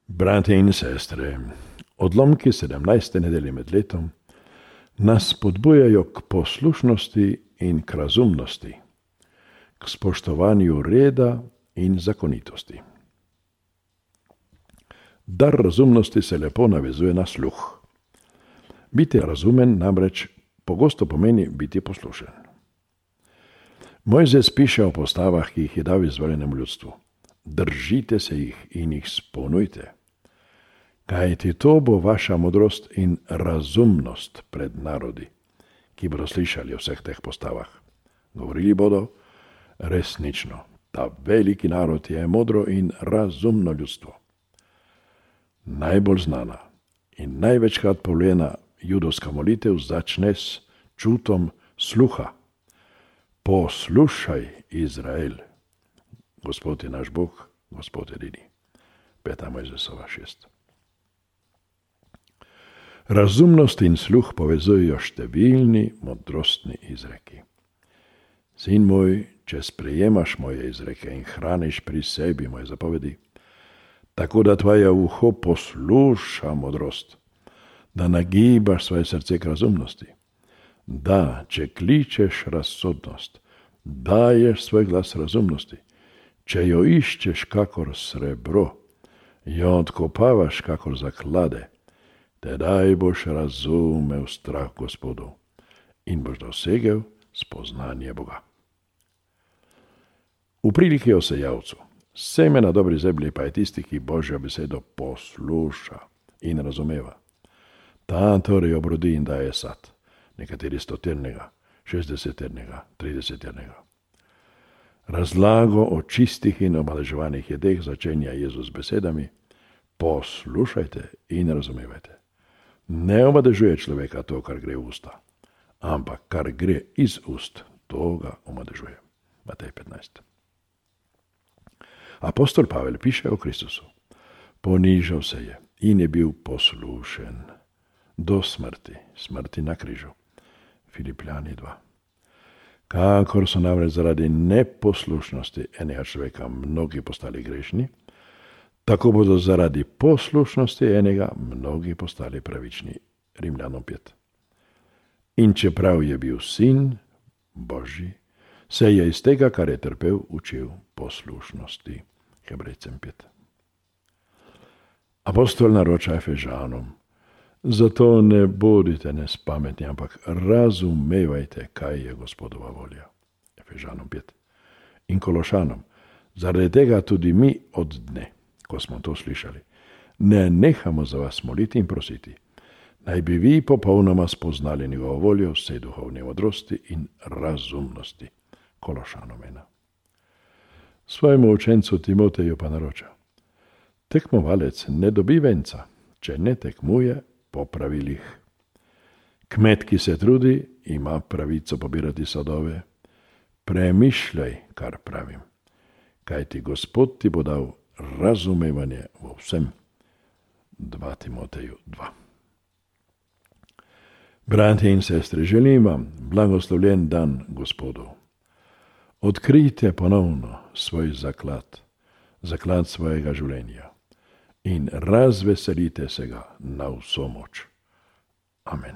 Brate in sestre, odlomki 17. nedelje med letom nas spodbujajo k poslušnosti in k razumnosti, k spoštovanju reda in zakonitosti. Dar razumnosti se lepo navezuje na sluh. Biti razumen namreč pogosto pomeni biti poslušen. Mojzes piše o postavah, ki jih je dal izvoljenemu ljudstvu. Držite se jih in jih spolnujte. Kajti to bo vaša modrost in razumnost pred narodi, ki bodo slišali o vseh teh postavah. Govorili bodo, resnično, ta veliki narod je modro in razumno ljudstvo. Najbolj znana in največkrat povljena judovska molitev začne s čutom sluha. Poslušaj, Izrael. Gospod je naš Bog, Gospod edini. 5. Mojzesova 6. Razumnost in sluh povezujejo številni modrostni izreki. Sin moj, če sprejemaš moje izreke in hraniš pri sebi moje zapovedi, tako da tvoje uho posluša modrost, da nagibaš svoje srce k razumnosti, da, če kličeš razsodnost, daješ svoj glas razumnosti, če jo iščeš kakor srebro, jo odkopavaš kakor zaklade, tedaj boš razumel strah Gospodu in boš dosegel spoznanje Boga. V priliki o sejavcu, seme na dobri zemlji pa je tisti, ki Božjo besedo posluša in razumeva. Ta torej obrodi in daje sad, nekateri 100-ternega, 60-ternega, 30-ternega. Razlago o čistih in omaleževanih jedeh začenja Jezus besedami: poslušajte in razumevajte. Ne omadežuje človeka to, kar gre v usta, ampak kar gre iz ust, to ga omadežuje. Matej 15. Apostol Pavel piše o Kristusu. Ponižal se je in je bil poslušen do smrti, smrti na križu. Filipljani 2. Kakor so namreč zaradi neposlušnosti enega človeka mnogi postali grešni, tako bodo zaradi poslušnosti enega mnogi postali pravični. Rimljanom 5. In čeprav je bil sin Božji, se je iz tega, kar je trpel, učil poslušnosti. Hebrejcem 5. Apostol naroča Efežanom: zato ne bodite nespametni, ampak razumevajte, kaj je Gospodova volja. Efežanom 5. In Kološanom: zaradi tega tudi mi od dne, ko smo to slišali, ne nehamo za vas moliti in prositi, naj bi vi popolnoma spoznali njegovo voljo, vse duhovne modrosti in razumnosti. Kološanom 1. Svojemu učencu Timoteju pa naroča: tekmovalec ne dobi venca, če ne tekmuje po pravilih. Kmet, ki se trudi, ima pravico pobirati sadove. Premišljaj, kar pravim, kajti Gospod ti bo dal razumevanje v vsem. 2. Timoteju 2. Bratje in sestre, želim vam blagoslovljen dan Gospodu. Odkrijte ponovno svoj zaklad svojega življenja in razveselite se ga na vso moč. Amen.